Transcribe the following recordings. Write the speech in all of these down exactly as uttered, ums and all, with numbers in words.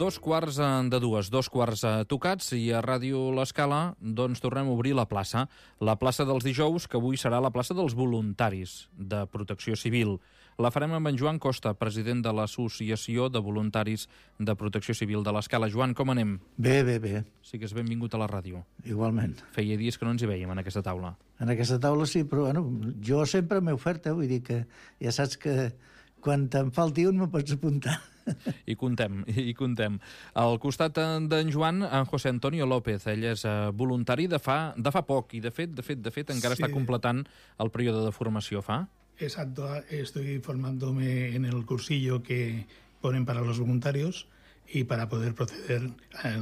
Dos quarts de dues, dos quarts tocats, i a Ràdio L'Escala doncs tornem a obrir la plaça. La plaça dels dijous, que avui serà la plaça dels voluntaris de Protecció Civil. La farem amb en Joan Costa, president de l'Associació de Voluntaris de Protecció Civil de l'Escala. Joan, com anem? Bé, bé, bé. Sigues benvingut a la ràdio. Igualment. Feia dies que no ens hi veiem en aquesta taula. En aquesta taula sí, però bueno, jo sempre m'he ofert, eh? Vull dir que ja saps que quan te'n falti un me pots apuntar. I contem, i contem. Al costat d'en Joan, en José Antonio López. Ell és uh, voluntari de fa, de fa poc i, de fet, de fet, de fet encara sí. Està completant el període de formació. Fa? Exacto. Estoy formándome en el cursillo que ponen para los voluntarios y para poder proceder a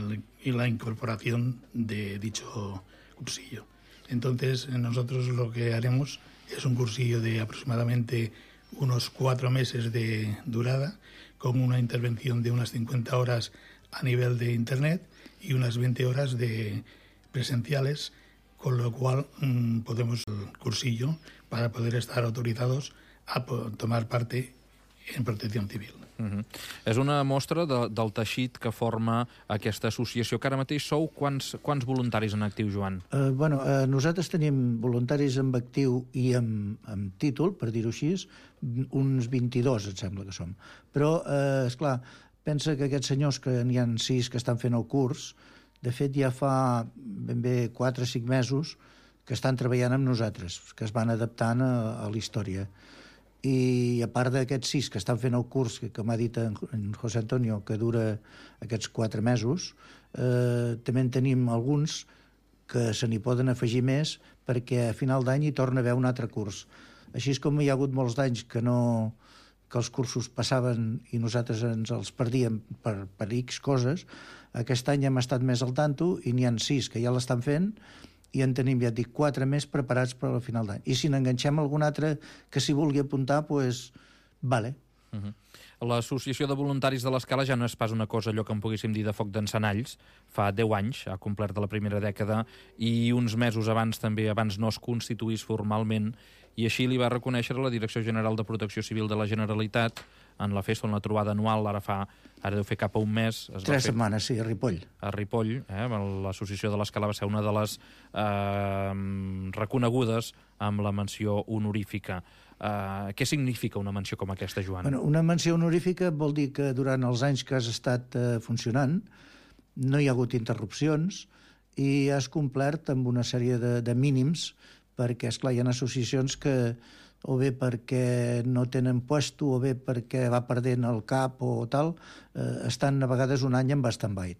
la incorporación de dicho cursillo. Entonces, nosotros lo que haremos es un cursillo de aproximadamente unos cuatro meses de durada, con una intervención de unas cincuenta horas a nivel de Internet y unas veinte horas de presenciales, con lo cual mmm, podemos el cursillo para poder estar autorizados a tomar parte en protecció civil. Uh-huh. És una mostra de, del teixit que forma aquesta associació, que ara mateix sou quants, quants voluntaris en actiu, Joan? Uh, bueno, uh, nosaltres tenim voluntaris en actiu i amb, amb títol, per dir-ho així, uns vint-i-dos, et sembla que som. Però, uh, esclar, pensa que aquests senyors, que n'hi ha sis que estan fent el curs, de fet ja fa ben bé quatre o cinc mesos que estan treballant amb nosaltres, que es van adaptant a, a la història. I a part d'aquests sis que estan fent el curs, que, que m'ha dit en, en José Antonio, que dura aquests quatre mesos, eh, també en tenim alguns que se n'hi poden afegir més, perquè a final d'any hi torna a haver un altre curs. Així és com hi ha hagut molts d'anys que no que els cursos passaven i nosaltres ens els perdíem per, per X coses. Aquest any hem estat més al tanto i n'hi ha sis que ja l'estan fent, i en tenim, ja et dic, quatre més preparats per al final d'any. I si n'enganxem algun altre que s'hi vulgui apuntar, doncs, pues, vale. Uh-huh. L'Associació de Voluntaris de l'Escala ja no és pas una cosa allò que en poguéssim dir de foc d'encenalls. Fa deu anys, ha complert de la primera dècada, i uns mesos abans també, abans no es constituís formalment, i així li va reconèixer la Direcció General de Protecció Civil de la Generalitat en la festa, en la trobada anual, ara fa, ara deu fer cap a un mes. Es Tres fer, setmanes, sí, a Ripoll. A Ripoll, eh? L'Associació de l'Escala va ser una de les eh, reconegudes amb la menció honorífica. Eh, què significa una menció com aquesta, Joan? Bueno, una menció honorífica vol dir que durant els anys que has estat eh, funcionant no hi ha hagut interrupcions i has complert amb una sèrie de, de mínims, perquè, esclar, hi ha associacions que o bé perquè no tenen puesto o bé perquè va perdent el cap o tal, eh, estan a vegades un any en stand-by.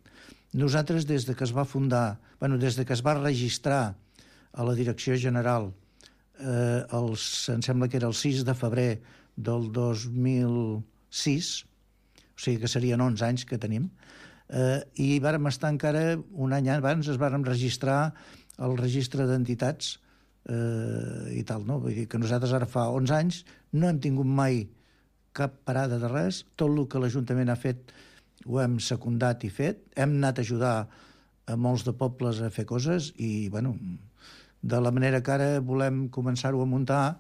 Nosaltres, des de que es va fundar, bueno, des de que es va registrar a la Direcció General, eh, els, em sembla que era el sis de febrer del dos mil sis, o sigui que serien onze anys que tenim, eh, i vàrem estar encara un any abans, es vàrem registrar al registre d'entitats eh, i tal, no? Vull dir que nosaltres ara fa onze anys no hem tingut mai cap parada de res, tot el que l'Ajuntament ha fet ho hem secundat i fet, hem anat a ajudar a molts de pobles a fer coses i, bueno, de la manera que ara volem començar-ho a muntar,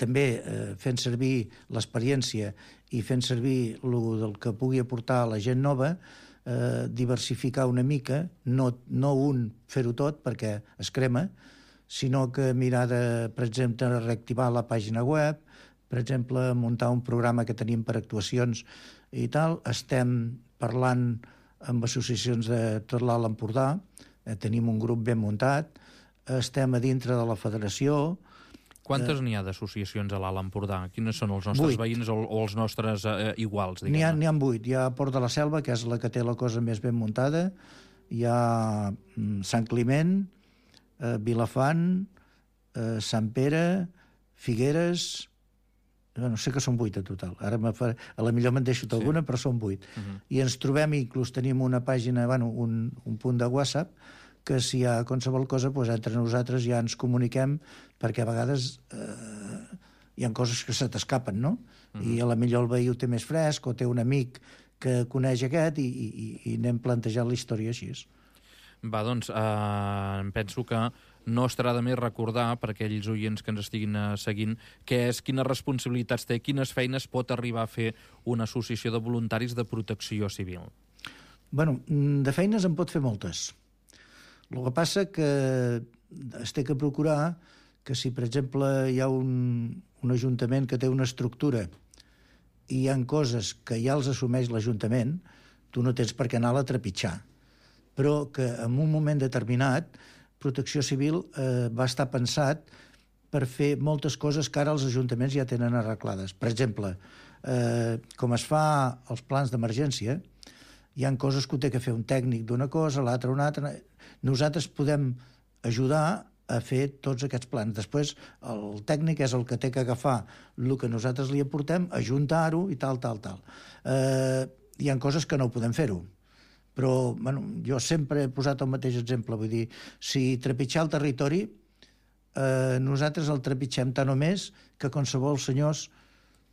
també eh, fent servir l'experiència i fent servir el del que pugui aportar la gent nova, eh, diversificar una mica, no, no un fer-ho tot perquè es crema, sinó que mirar de, per exemple, reactivar la pàgina web, per exemple, muntar un programa que tenim per actuacions i tal. Estem parlant amb associacions de tot l'Alt Empordà, eh, tenim un grup ben muntat, estem a dintre de la federació. Quantes eh, n'hi ha d'associacions a l'Alt Empordà? Quines són els nostres vuit. Veïns o, o els nostres eh, iguals? N'hi ha, n'hi ha vuit. Hi ha Port de la Selva, que és la que té la cosa més ben muntada, hi ha mm, Sant Climent, eh, Vilafant, eh, Sant Pere, Figueres, no sé que són vuit a total, ara fa, a la millor me'n deixo alguna, sí. Però són vuit. Uh-huh. I ens trobem, inclús tenim una pàgina, bueno, un, un punt de WhatsApp, que si hi ha qualsevol cosa, doncs entre nosaltres ja ens comuniquem, perquè a vegades eh, hi ha coses que se t'escapen, no? Uh-huh. I a la millor el veí ho té més fresc, o té un amic que coneix aquest, i, i, i anem plantejant la història així. Va, doncs, eh, penso que no estarà de més recordar, per aquells oients que ens estiguin seguint, què és, quines responsabilitats té, quines feines pot arribar a fer una associació de voluntaris de protecció civil. Bueno, de feines en pot fer moltes. El que passa que es té que procurar que si, per exemple, hi ha un, un ajuntament que té una estructura i hi ha coses que ja els assumeix l'Ajuntament, tu no tens per què anar-la a trepitjar. Però que en un moment determinat Protecció Civil eh, va estar pensat per fer moltes coses que ara els ajuntaments ja tenen arreglades. Per exemple, eh, com es fa els plans d'emergència, hi ha coses que ho té que fer un tècnic d'una cosa, l'altre una altra. Nosaltres podem ajudar a fer tots aquests plans. Després, el tècnic és el que té que agafar el que nosaltres li aportem, ajuntar-ho i tal, tal, tal. Eh, hi ha coses que no podem fer-ho. Però, bueno, jo sempre he posat el mateix exemple. Vull dir, si trepitjar el territori, eh, nosaltres el trepitgem tant o més que qualsevol senyors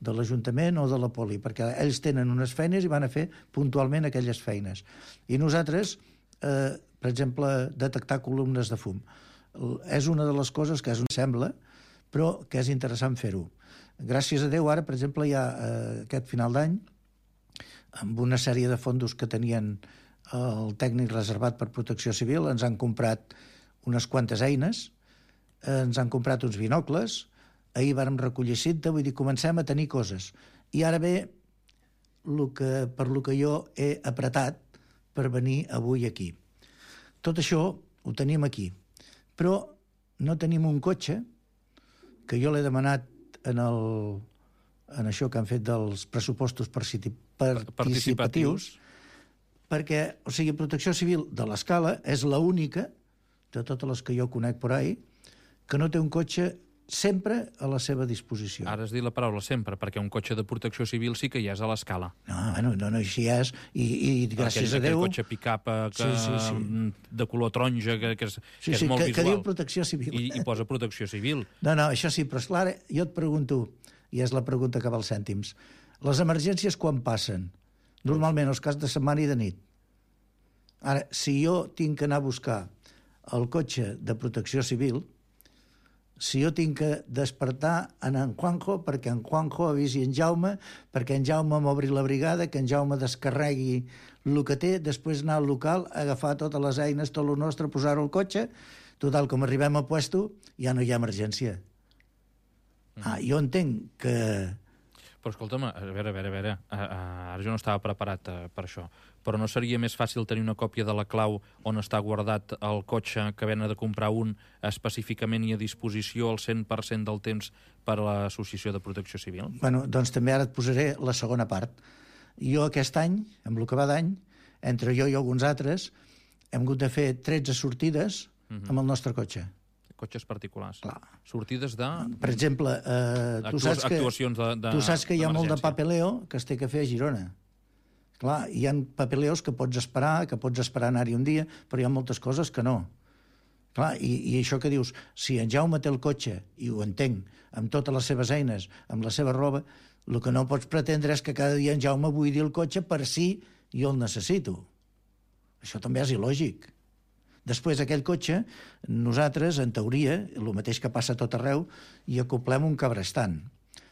de l'Ajuntament o de la poli, perquè ells tenen unes feines i van a fer puntualment aquelles feines. I nosaltres, eh, per exemple, detectar columnes de fum. És una de les coses que es sembla, però que és interessant fer-ho. Gràcies a Déu, ara, per exemple, hi ha eh, aquest final d'any, amb una sèrie de fondos que tenien el tècnic reservat per Protecció Civil, ens han comprat unes quantes eines, ens han comprat uns binocles, ahir vàrem recollir cinta, vull dir, comencem a tenir coses. I ara ve lo que, per lo que jo he apretat per venir avui aquí. Tot això ho tenim aquí. Però no tenim un cotxe, que jo l'he demanat en, el, en això que han fet dels pressupostos participatius, participatius, perquè, o sigui, Protecció Civil de l'Escala és l'única, de totes les que jo conec per ahí, que no té un cotxe sempre a la seva disposició. Ara has dit la paraula sempre, perquè un cotxe de protecció civil sí que hi és a l'escala. No, bueno, no, no, així és, i, i gràcies aquell, a Déu... Aquell cotxe pick-up que, sí, sí, sí. de color taronja, que, que és, sí, que és sí, molt que, visual. Que diu Protecció Civil. I, I posa Protecció Civil. No, no, això sí, però esclar, jo et pregunto, i és la pregunta que val cèntims, les emergències quan passen? Normalment els caps de setmana i de nit. Ara, si jo tinc que anar a buscar el cotxe de Protecció Civil, si jo tinc que despertar en en Juanjo perquè en Juanjo avisi en Jaume, perquè en Jaume m'obri la brigada, que en Jaume descarregui el que té, després anar al local, agafar totes les eines, tot el nostre, posar-ho al cotxe, total, com arribem al puesto, ja no hi ha emergència. Ah, jo entenc que... Però escolta'm, a veure, a veure, a veure, ara jo no estava preparat per això, però no seria més fàcil tenir una còpia de la clau on està guardat el cotxe que ven de comprar un específicament i a disposició al cent per cent del temps per a l'Associació de Protecció Civil? Bueno, doncs també ara et posaré la segona part. Jo aquest any, amb el que va d'any, entre jo i alguns altres, hem hagut de fer tretze sortides uh-huh. amb el nostre cotxe. Cotxes particulars. Clar. Sortides de... Per exemple, eh, tu, Actua saps que, actuacions de, de, tu saps que hi ha molt de d'emergència. papeleo que es té que fer a Girona. Clar, hi ha papeleos que pots esperar, que pots esperar anar-hi un dia, però hi ha moltes coses que no. Clar, i, i això que dius, si en Jaume té el cotxe, i ho entenc, amb totes les seves eines, amb la seva roba, el que no pots pretendre és que cada dia en Jaume buidi el cotxe per si jo el necessito. Això també és il·lògic. Després, aquell cotxe, nosaltres, en teoria, el mateix que passa a tot arreu, hi acoplem un cabrestant.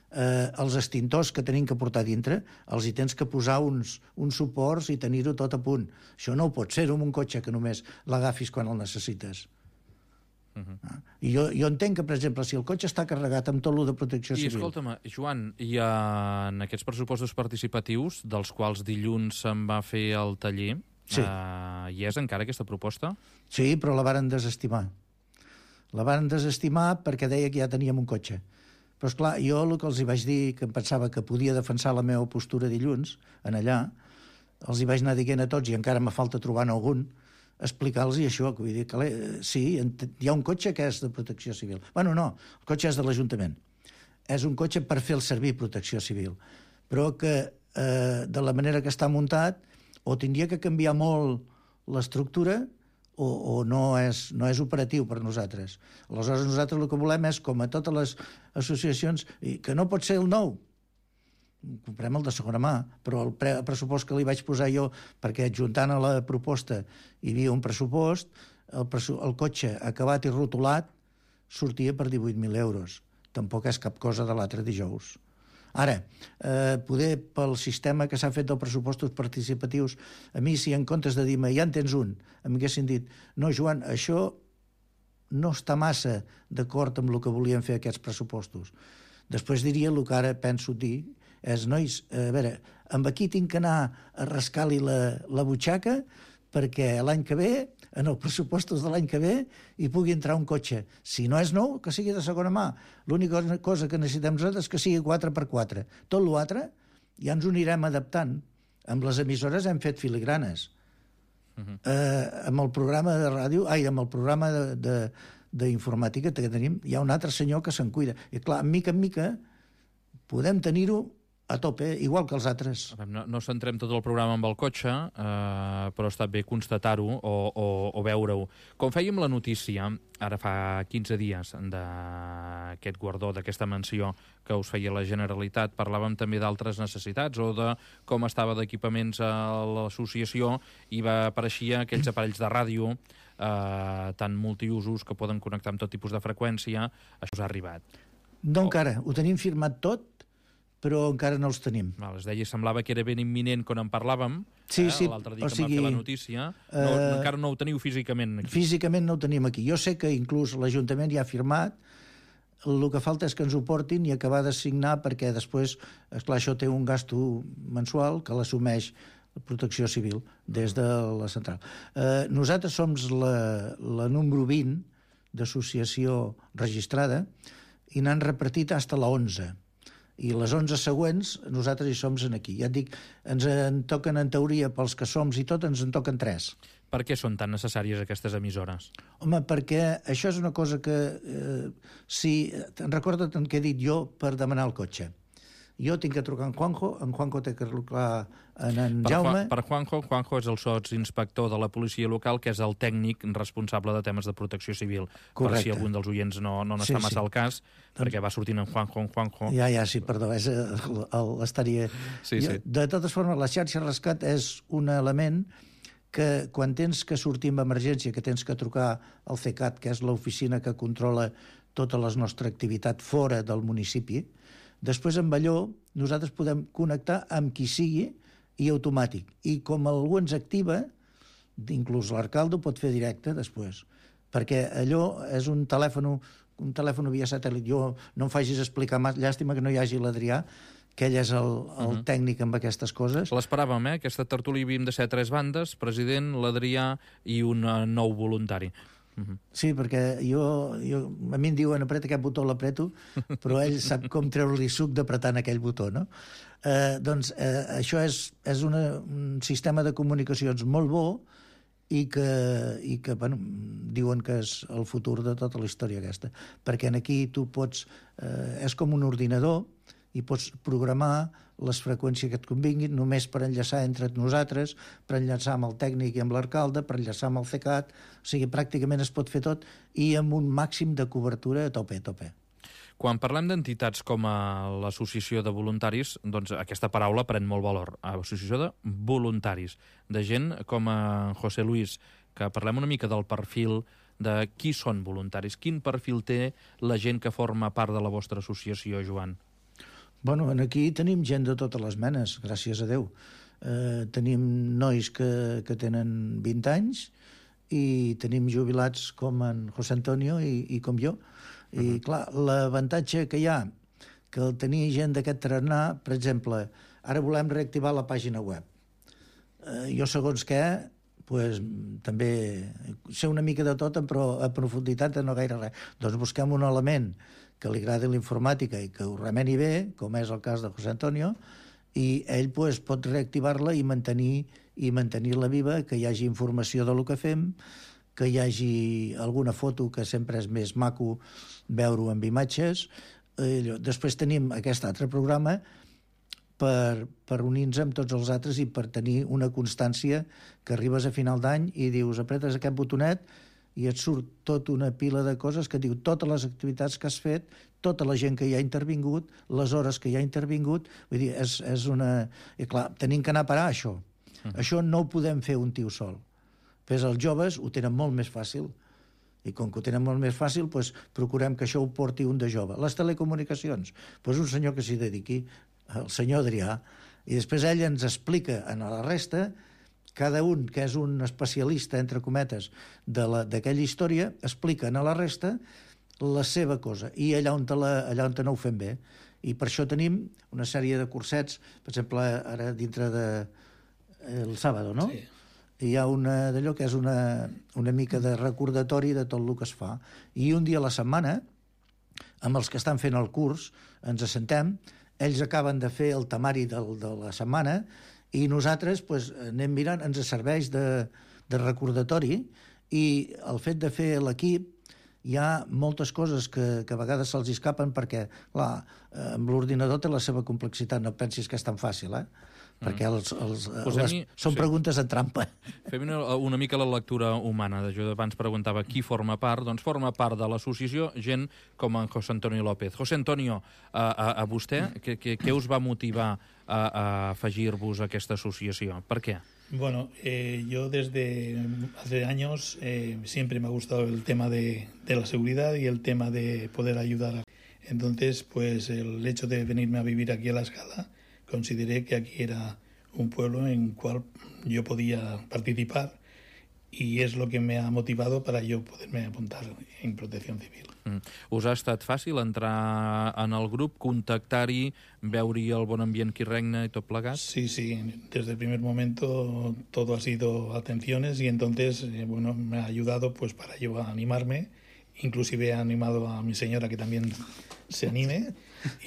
Eh, els extintors que tenim que portar dintre, els hi tens que posar uns, uns suports i tenir-ho tot a punt. Això no ho pots fer amb un cotxe que només l'agafis quan el necessites. Uh-huh. Ah. I jo, jo entenc que, per exemple, si el cotxe està carregat amb tot lo de protecció I, civil... I, escolta'm, Joan, i en aquests pressupostos participatius, dels quals dilluns se'n va fer el taller... Sí. Uh, hi és encara aquesta proposta? Sí, però la varen desestimar. La varen desestimar perquè deia que ja teníem un cotxe. Però, esclar, jo el que els hi vaig dir, que em pensava que podia defensar la meva postura dilluns, en allà, els hi vaig anar dient a tots, i encara me falta trobar algun, explicar-los això, que vull dir que sí, hi ha un cotxe que és de protecció civil. Bueno, no, el cotxe és de l'Ajuntament. És un cotxe per fer el servir protecció civil. Però que, eh, de la manera que està muntat, o tindria que canviar molt l'estructura o, o no, és, no és operatiu per nosaltres. Aleshores, nosaltres el que volem és, com a totes les associacions, que no pot ser el nou, comprem el de segona mà, però el, pre, el pressupost que li vaig posar jo, perquè adjuntant a la proposta hi havia un pressupost, el, el cotxe acabat i rotulat sortia per divuit mil euros. Tampoc és cap cosa de l'altre dijous. Ara, eh, poder pel sistema que s'ha fet dels pressupostos participatius, a mi, si en comptes de dir-me ja en tens un, em haguessin dit no, Joan, això no està massa d'acord amb el que volien fer aquests pressupostos. Després diria el que ara penso dir és, nois, a veure, amb aquí tinc que anar a rascar-li la, la butxaca perquè l'any que ve, en els pressupostos de l'any que ve, hi pugui entrar un cotxe. Si no és nou, que sigui de segona mà. L'única cosa que necessitem nosaltres és que sigui quatre per quatre. Tot l'altre ja ens ho anirem adaptant. Amb les emissores hem fet filigranes. Uh-huh. eh, amb el programa de ràdio, ai, amb el programa d'informàtica que tenim, hi ha un altre senyor que se'n cuida. I clar, mica en mica podem tenir-ho a tope, igual que els altres. No, no centrem tot el programa amb el cotxe, eh, però ha estat bé constatar-ho o, o, o veure-ho. Com fèiem la notícia, ara fa quinze dies, d'aquest guardó, d'aquesta menció que us feia la Generalitat, parlàvem també d'altres necessitats o de com estava d'equipaments a l'associació i va apareixia aquells aparells de ràdio eh, tan multiusos que poden connectar amb tot tipus de freqüència. Això us ha arribat? No, encara. Ho tenim firmat tot, però encara no els tenim. Val, es deia, semblava que era ben imminent quan en parlàvem, sí, eh, sí, l'altre dia o que sigui, em va fer la notícia. No, eh, encara no ho teniu físicament aquí. Físicament no ho tenim aquí. Jo sé que inclús l'Ajuntament ja ha firmat, el que falta és que ens ho portin i acabar de signar, perquè després, esclar, això té un gasto mensual que l'assumeix la Protecció Civil des de la central. Eh, nosaltres som la, la número vint d'associació registrada i n'han repartit fins a la onze. I les onze següents nosaltres hi som aquí. Ja et dic, ens en toquen en teoria pels que som i tot, ens en toquen tres. Per què són tan necessàries aquestes emissores? Home, perquè això és una cosa que... Eh, si te'n recorda't què he dit jo per demanar el cotxe. Jo tinc que trucar en Juanjo, en Juanjo té que trucar en en per Jaume... Juan, per Juanjo, Juanjo és el sotsinspector de la policia local, que és el tècnic responsable de temes de protecció civil. Correcte. Per si algun dels oients no, no n'està Sí, massa sí. al cas, perquè va sortint en Juanjo, en Juanjo... Ja, ja, sí, perdó, és l'estaria... Sí, sí. De totes formes, la xarxa rescat és un element que quan tens que sortir amb emergència, que tens que trucar al CECAT, que és l'oficina que controla tota la nostra activitat fora del municipi, després amb allò nosaltres podem connectar amb qui sigui i automàtic. I com algú ens activa, inclús l'alcalde ho pot fer directe després, perquè allò és un telèfon, un telèfon via satèl·lit. Jo no em facis explicar massa, llàstima que no hi hagi l'Adrià, que ell és el, el uh-huh. tècnic amb aquestes coses. L'esperàvem, eh? Aquesta tertúlia havíem de ser tres bandes, president, l'Adrià i un uh, nou voluntari. Uh-huh. Sí, perquè jo, jo, a mi em diuen apreta aquest botó, l'apreto, però ell sap com treure-li suc d'apretar en aquell botó, no? Eh, doncs eh, això és, és una, un sistema de comunicacions molt bo i que, i que bueno, diuen que és el futur de tota la història aquesta, perquè aquí tu pots, eh, és com un ordinador i pots programar les freqüències que et convinguin només per enllaçar entre nosaltres, per enllaçar amb el tècnic i amb l'alcalde, per enllaçar amb el CECAT, o sigui, pràcticament es pot fer tot i amb un màxim de cobertura a tope, a tope. Quan parlem d'entitats com a l'Associació de Voluntaris, doncs aquesta paraula pren molt valor. Associació de Voluntaris, de gent com a José Luis, que parlem una mica del perfil de qui són voluntaris. Quin perfil té la gent que forma part de la vostra associació, Joan? Bueno, aquí tenim gent de totes les menes, gràcies a Déu. Eh, tenim nois que, que tenen vint anys i tenim jubilats com en José Antonio i, i com jo. I, uh-huh. clar, l'avantatge que hi ha que el tenir gent d'aquest tarannà, per exemple, ara volem reactivar la pàgina web. Eh, jo, segons què, pues, també sé una mica de tot, però a profunditat no gaire res. Doncs busquem un element que li agradi la informàtica i que ho remeni bé, com és el cas de José Antonio, i ell pues, pot reactivar-la i mantenir i mantenir-la viva, que hi hagi informació del que fem, que hi hagi alguna foto, que sempre és més maco veure-ho amb imatges. Eh, després tenim aquest altre programa per, per unir-nos amb tots els altres i per tenir una constància que arribes a final d'any i dius, apretes aquest botonet i et surt tota una pila de coses que diu totes les activitats que has fet, tota la gent que hi ha intervingut, les hores que hi ha intervingut. Vull dir, és, és una... I clar, tenim que anar a parar això. Uh-huh. Això no ho podem fer un tio sol. Però els joves ho tenen molt més fàcil. I com que ho tenen molt més fàcil, doncs procurem que això ho porti un de jove. Les telecomunicacions, doncs un senyor que s'hi dediqui, el senyor Adrià, i després ell ens explica a la resta, cada un que és un especialista, entre cometes, d'aquella història, explica a la resta la seva cosa, i allà on, la, allà on no ho fem bé. I per això tenim una sèrie de cursets, per exemple, ara dintre de el sàbado, no? Sí. Hi ha una d'allò que és una, una mica de recordatori de tot el que es fa. I un dia a la setmana, amb els que estan fent el curs, ens assentem, ells acaben de fer el temari del, de la setmana i nosaltres pues, anem mirant, ens serveix de, de recordatori, i el fet de fer l'equip hi ha moltes coses que, que a vegades se'ls escapen perquè, clar, amb l'ordinador té la seva complexitat, no pensis que és tan fàcil, eh? Perquè els, els, les, són sí. preguntes en trampa. Fem una, una mica la lectura humana. Jo abans preguntava qui forma part. Doncs forma part de l'associació gent com en José Antonio López. José Antonio, a, a, a vostè, què, què, què us va motivar a, a afegir-vos a aquesta associació? Per què? Bueno, eh, yo desde hace años eh, siempre me ha gustado el tema de, de la seguridad y el tema de poder ayudar. Entonces, pues el hecho de venirme a vivir aquí a La Escala, consideré que aquí era un pueblo en el cual yo podía participar y es lo que me ha motivado para yo poderme apuntar en Protección Civil. Mm. Us ha estat fàcil entrar en el grup, contactar-hi, veure-hi el bon ambient que regna i tot plegat? Sí, sí, desde el primer momento todo ha sido atenciones y entonces, eh, bueno, me ha ayudado pues para yo a animarme, inclusive he animado a mi señora que también se anime.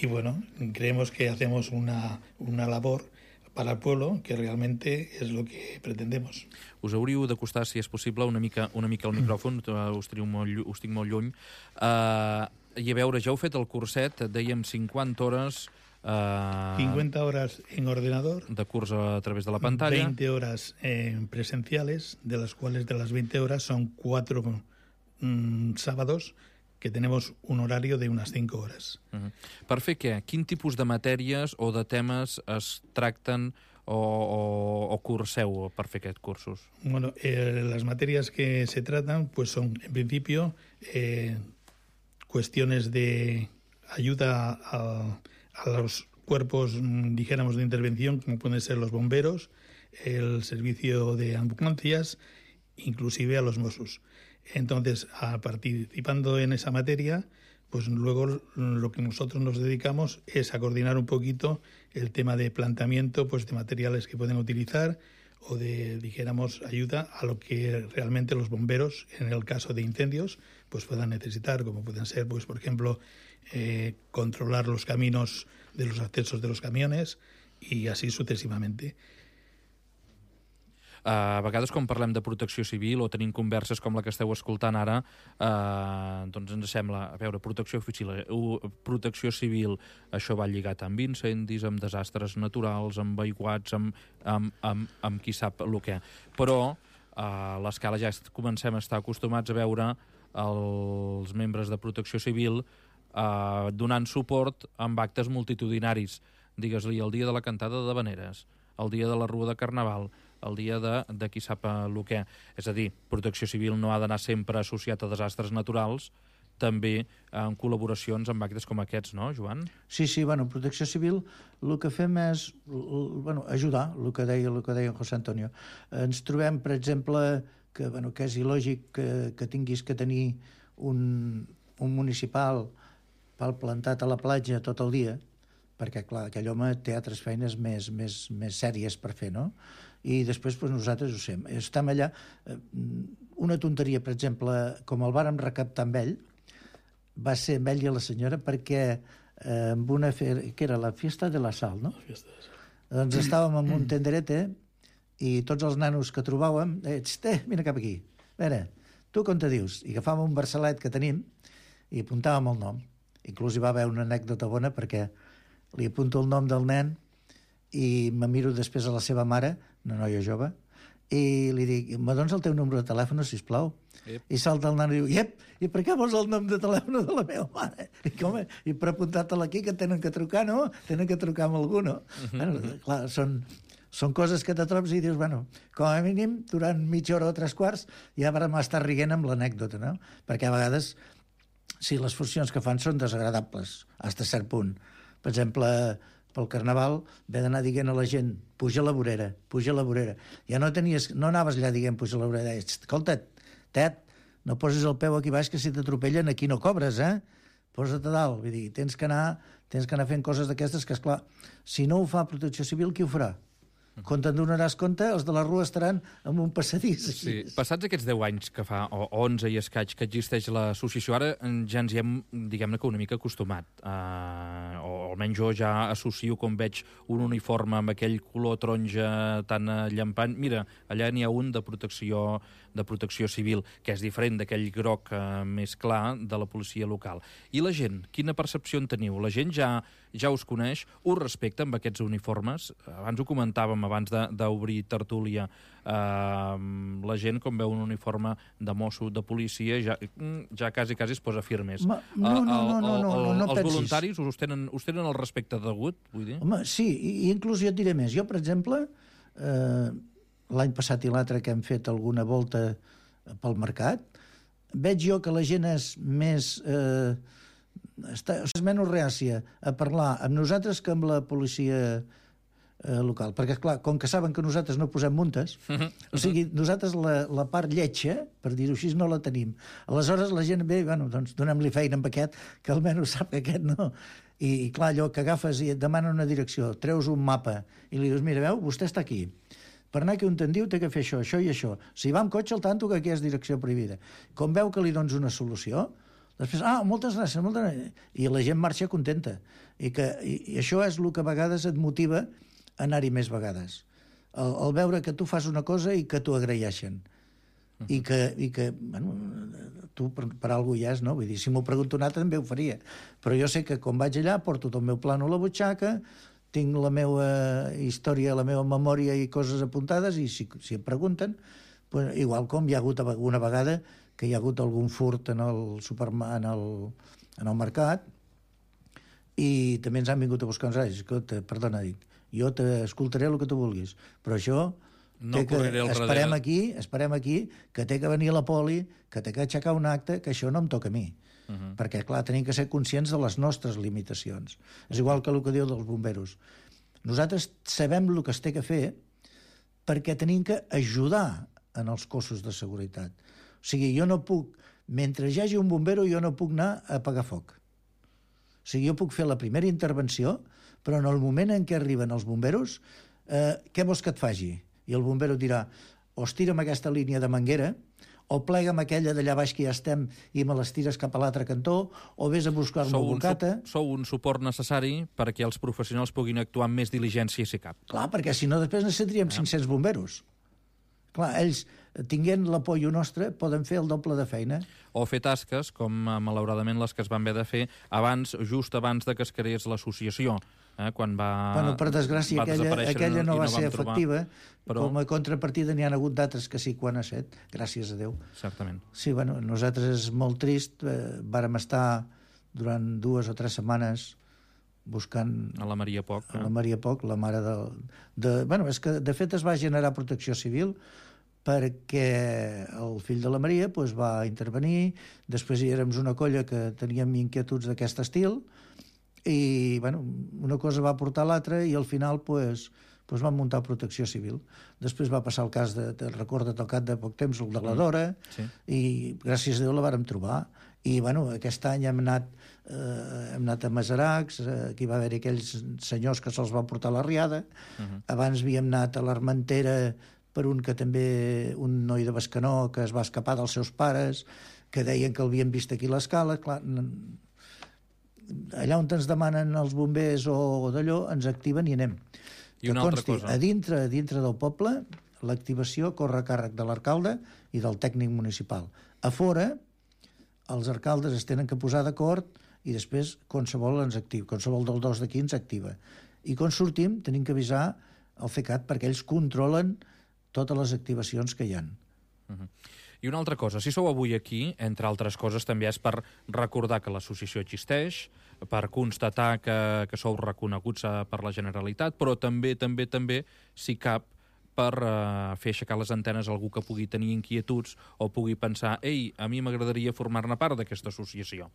Y bueno, creemos que hacemos una, una labor para el pueblo que realmente es lo que pretendemos. Us hauríeu d'acostar, si és possible, una mica, una mica al micròfon, us, molt, us tinc molt lluny. Uh, I a veure, ja heu fet el curset, dèiem cinquanta hores... Uh, cincuenta horas en ordenador. De curs a través de la pantalla. veinte horas eh, presenciales, de las cuales de las veinte horas son cuatro mm, sábados, que tenemos un horario de unas cinco horas. Uh-huh. Per fer què? Quin tipus de matèries o de temes es tracten o, o, o curseu per fer aquests cursos? Bueno, eh, las materias que se tratan pues son, en principio, eh, cuestiones de ayuda a, a los cuerpos, dijéramos, de intervención, como pueden ser los bomberos, el servicio de ambulancias, inclusive a los Mossos. Entonces, a participando en esa materia, pues luego lo que nosotros nos dedicamos es a coordinar un poquito el tema de planteamiento pues, de materiales que pueden utilizar o de, dijéramos, ayuda a lo que realmente los bomberos, en el caso de incendios, pues puedan necesitar, como pueden ser, pues por ejemplo, eh, controlar los caminos de los accesos de los camiones y así sucesivamente. Uh, a vegades, quan parlem de protecció civil o tenim converses com la que esteu escoltant ara, uh, doncs ens sembla, a veure, protecció civil, uh, protecció civil, això va lligat amb incendis, amb desastres naturals, amb aiguats, amb, amb, amb, amb qui sap el què. Però a l'Escala ja comencem a estar acostumats a veure els membres de protecció civil uh, donant suport amb actes multitudinaris. Digues-li, el dia de la cantada de Veneres, el dia de la Rua de Carnaval, el dia de, de qui sap el què. És a dir, protecció civil no ha d'anar sempre associat a desastres naturals, també en col·laboracions amb actes com aquests, no, Joan? Sí, sí, bueno, protecció civil, el que fem és bueno, ajudar, el que deia, el que deia José Antonio. Ens trobem, per exemple, que, bueno, que és il·lògic que, que tinguis que tenir un, un municipal pal plantat a la platja tot el dia, perquè, clar, aquell home té altres feines més, més, més sèries per fer, no? I després doncs, nosaltres ho fem. Estem allà. Una tonteria, per exemple, com el vàrem recaptar amb ell, va ser amb ell i la senyora perquè eh, amb una fe... que era la Fiesta de la Sal, no? La Fiesta de la Sal. Doncs estàvem en un tenderete i tots els nanos que trobàvem, eh, eh, vine cap aquí, a veure, tu com te dius? I agafàvem un barcelet que tenim i apuntàvem el nom. Inclús hi va haver una anècdota bona perquè li apunto el nom del nen i me miro després a la seva mare, una noia jove, i li dic, me dones el teu número de telèfon, sisplau? Yep. I salta el nan i diu, iep, i per què vols el nom de telèfon de la meva mare? I, com, i per apuntar-te-la aquí, que tenen que trucar, no? Tenen que trucar amb algú, no? Uh-huh. Bueno, clar, són, Són coses que te trobes i dius, bueno, com a mínim, durant mitja hora o tres quarts, ja vam estar rient amb l'anècdota, no? Perquè a vegades, sí, les funcions que fan són desagradables, fins a cert punt. Per exemple, pel Carnaval, ve d'anar dient a la gent, puja a la vorera, puja a la vorera. Ja no tenies, no anaves allà dient, puja a la vorera. Escolta, tet, no posis el peu aquí baix, que si t'atropellen aquí no cobres, eh? Posa't a dalt. Vull dir, tens que anar, tens que anar fent coses d'aquestes que, esclar, si no ho fa Protecció Civil, qui ho farà? Quan te'n donaràs compte, els de la rua estaran en un passadís. Sí. Passats aquests deu anys que fa, o onze i escaig, que existeix l'associació, ara ja ens hi hem, diguem-ne que una mica acostumat. Uh, o almenys jo ja associo, com veig un uniforme amb aquell color taronja tan llampant. Mira, allà n'hi ha un de protecció, de protecció civil, que és diferent d'aquell groc uh, més clar de la policia local. I la gent, quina percepció en teniu? La gent ja, ja us coneix, us respecta amb aquests uniformes? Abans ho comentàvem, abans d'obrir tertúlia, eh, la gent, com veu un uniforme de mosso, de policia, ja, ja quasi, quasi es posa firmes. Ma, no, no, no, no, no, no, no Els pensis. voluntaris us tenen, us tenen el respecte degut, vull dir? Home, sí, i inclús jo et diré més. Jo, per exemple, eh, l'any passat i l'altre que hem fet alguna volta pel mercat, veig jo que la gent és més... Eh, està, és menys reàcia a parlar amb nosaltres que amb la policia eh, local, perquè, clar, com que saben que nosaltres no posem multes, uh-huh. o sigui, nosaltres la, la part lletja, per dir-ho així, no la tenim. Aleshores la gent ve, bueno, doncs donem-li feina amb aquest, que almenys sap que aquest no. I, i clar, allò que agafes i et demana una direcció, treus un mapa i li dius, mira, veu, vostè està aquí. Per anar aquí on te'n diu, té que fer això, això i això. Si va amb cotxe, al tanto que aquí és direcció prohibida. Com veu que li dones una solució, després, ah, moltes gràcies, moltes gràcies. I la gent marxa contenta. I, que, i, i això és el que a vegades et motiva a anar-hi més vegades. El, el veure que tu fas una cosa i que t'ho agraeixen. Uh-huh. I que, i que bueno, tu per, per alguna cosa ja és, no? Vull dir, si m'ho pregunto un altre també ho faria. Però jo sé que quan vaig allà porto tot el meu plano a la butxaca, tinc la meva història, la meva memòria i coses apuntades, i si, si em pregunten, pues, igual com hi ha hagut alguna vegada que hi ha hagut algun furt en el, superma, en el, en el mercat, i també ens han vingut a buscar uns anys. Escolta, perdona, dic, jo t'escoltaré el que tu vulguis, però això no que, esperem aquí, esperem aquí, que té que venir la poli, que té que aixecar un acte, que això no em toca a mi. Uh-huh. Perquè, clar, tenim que ser conscients de les nostres limitacions. És igual que el que diu dels bomberos. Nosaltres sabem el que es té que fer perquè tenim que ajudar en els cossos de seguretat. O sigui, jo no puc, mentre hi hagi un bombero, jo no puc anar a apagar foc. O sigui, jo puc fer la primera intervenció, però en el moment en què arriben els bomberos, eh, què vols que et faci? I el bombero dirà, o estira'm aquesta línia de manguera, o plega'm aquella d'allà baix que ja estem i me les tires cap a l'altre cantó, o vés a buscar-me un bocata. Sou un suport necessari perquè els professionals puguin actuar amb més diligència, si cap. Clar, perquè si no després necessitaríem ah. cinc-cents bomberos. Clar, ells, tinguent l'apoio nostre, poden fer el doble de feina. O fer tasques, com malauradament les que es van haver de fer abans, just abans de que es creés l'associació, eh, quan va Bueno, per desgràcia, aquella, aquella no, no va ser efectiva, trobar, però... com a contrapartida n'hi ha hagut d'altres que sí quan ha set, gràcies a Déu. Certament. Sí, bueno, nosaltres és molt trist, eh, vàrem estar durant dues o tres setmanes buscant... A la Maria Poc. A la Maria Poc, la mare de... de bueno, és que de fet es va generar Protecció Civil perquè el fill de la Maria pues, va intervenir, després hi érem una colla que teníem inquietuds d'aquest estil, i bueno, una cosa va portar l'altra i al final pues, pues vam muntar Protecció Civil. Després va passar el cas, de, de recorda't al cap de poc temps, el de la Dora, sí. I gràcies a Déu la vàrem trobar. I bueno, aquest any hem anat, eh, hem anat a Masaracs, eh, aquí va haver aquells senyors que se'ls va portar la riada, uh-huh. Abans havíem anat a l'Armentera per un que també, un noi de Bescanó que es va escapar dels seus pares, que deien que l'havien vist aquí a l'escala. Clar, allà on ens demanen els bombers o d'allò, ens activen i anem. I una altra cosa. A dintre, a dintre del poble, l'activació corre a càrrec de l'alcalde i del tècnic municipal. A fora, els alcaldes es tenen que posar d'acord i després qualsevol ens activa, qualsevol del dos d'aquí ens activa. I quan sortim tenim que avisar el C E C A T perquè ells controlen totes les activacions que hi ha. Uh-huh. I I una altra cosa, si sou avui aquí, entre altres coses, també és per recordar que l'associació existeix, per constatar que, que sou reconeguts per la Generalitat, però també, també, també, si cap, per uh, fer aixecar les antenes a algú que pugui tenir inquietuds o pugui pensar, ei, a mi m'agradaria formar-ne part d'aquesta associació.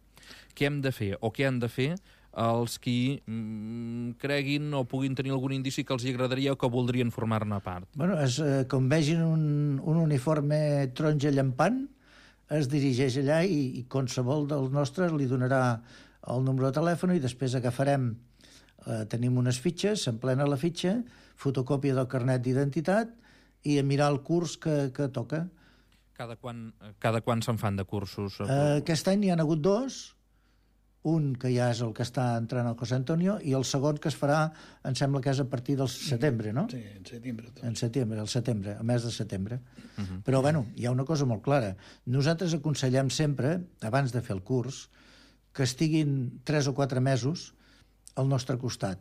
Què hem de fer o què han de fer els qui mm, creguin o puguin tenir algun indici que els hi agradaria o que voldrien formar-ne part? Bueno, es, eh, com vegin un, un uniforme taronja llampant, es dirigeix allà i, i qualsevol dels nostres li donarà el número de telèfon i després agafarem, eh, tenim unes fitxes, s'emplena la fitxa, fotocòpia del carnet d'identitat i a mirar el curs que, que toca. Cada quan, cada quan se'n fan de cursos? Eh, aquest any n'hi ha hagut dos, un que ja és el que està entrant al José Antonio i el segon que es farà, em sembla que és a partir del setembre, no? Sí, en setembre. Tot. En setembre, el setembre, el mes de setembre. Uh -huh. Però, bueno, hi ha una cosa molt clara. Nosaltres aconsellem sempre, abans de fer el curs, que estiguin tres o quatre mesos al nostre costat.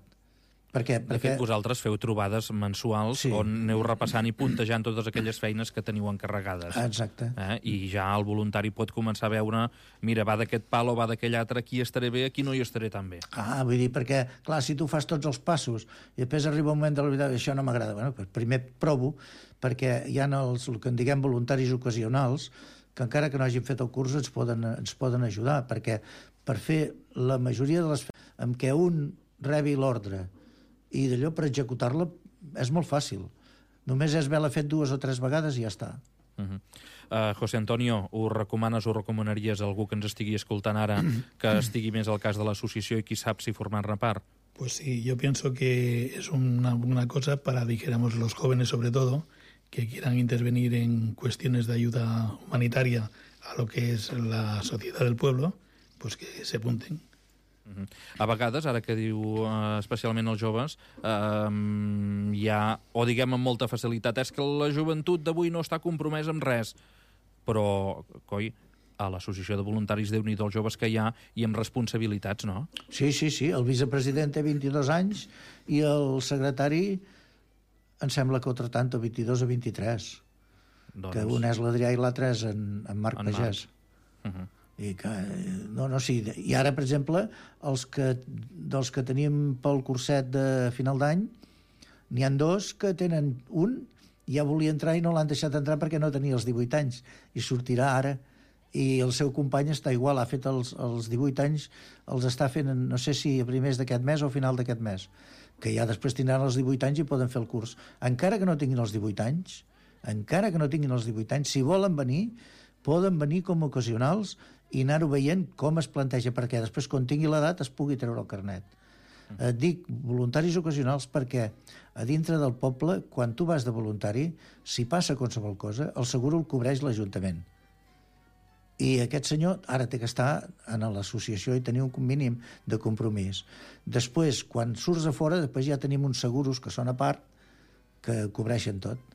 Per què? De Perquè... fet, vosaltres feu trobades mensuals Sí. on aneu repassant i puntejant totes aquelles feines que teniu encarregades. Exacte. Eh? I ja el voluntari pot començar a veure, mira, va d'aquest pal o va d'aquell altre, aquí estaré bé, aquí no hi estaré tan bé. Ah, vull dir, perquè, clar, si tu fas tots els passos i després arriba un moment de la vida, això no m'agrada, bueno, doncs primer provo, perquè hi ha els, el que en diguem voluntaris ocasionals, que encara que no hagin fet el curs ens poden, ens poden ajudar, perquè per fer la majoria de les feines en què un rebi l'ordre i d'allò per executar-la és molt fàcil. Només és haver-la fet dues o tres vegades i ja està. Uh -huh. uh, José Antonio, ho recomanes o recomanaries a algú que ens estigui escoltant ara que estigui més al cas de l'associació i qui sap si formar-ne part? Pues sí, yo pienso que es una, una cosa para, dijéramos, los jóvenes sobre todo, que quieran intervenir en cuestiones de ayuda humanitaria a lo que es la sociedad del pueblo, pues que se apunten. Uh -huh. A vegades, ara que diu uh, especialment els joves, uh, hi ha, o diguem amb molta facilitat, és que la joventut d'avui no està compromesa amb res, però, coi, a l'associació de voluntaris Déu-n'hi-do els joves que hi ha i amb responsabilitats, no? Sí, sí, sí, el vicepresident té vint-i-dos anys i el secretari em sembla que altre tant, vint-i-dos o vint-i-tres, doncs... que un és l'Adrià i l'altre és en, en Marc en Pagès. Uh -huh. I que, no, no, sí. I ara, per exemple, els que, dels que tenim pel curset de final d'any, n'hi han dos que tenen un, ja volia entrar i no l'han deixat entrar perquè no tenia els divuit anys, i sortirà ara. I el seu company està igual, ha fet els, els divuit anys, els està fent, no sé si a primers d'aquest mes o a final d'aquest mes, que ja després tindran els divuit anys i poden fer el curs. Encara que no tinguin els divuit anys, encara que no tinguin els divuit anys, si volen venir, poden venir com a ocasionals i anar-ho veient com es planteja, perquè després, quan tingui l'edat, es pugui treure el carnet. Mm. Et dic voluntaris ocasionals perquè a dintre del poble, quan tu vas de voluntari, si passa qualsevol cosa, el seguro el cobreix l'Ajuntament. I aquest senyor ara té que estar en l'associació i tenir un mínim de compromís. Després, quan surts a fora, després ja tenim uns seguros que són a part, que cobreixen tot.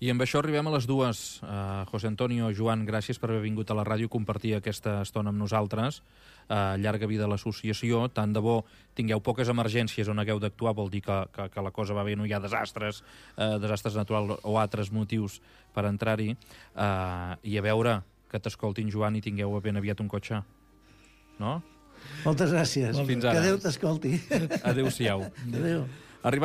I amb això arribem a les dues. Uh, José Antonio, Joan, gràcies per haver vingut a la ràdio i compartir aquesta estona amb nosaltres. Uh, llarga vida a l'associació. Tant de bo tingueu poques emergències on hagueu d'actuar, vol dir que, que, que la cosa va bé, no hi ha desastres, uh, desastres naturals o altres motius per entrar-hi. Uh, I a veure que t'escoltin, Joan, i tingueu ben aviat un cotxe. No? Moltes gràcies. Fins ara. Que Déu t'escolti. Adéu-siau. Adéu.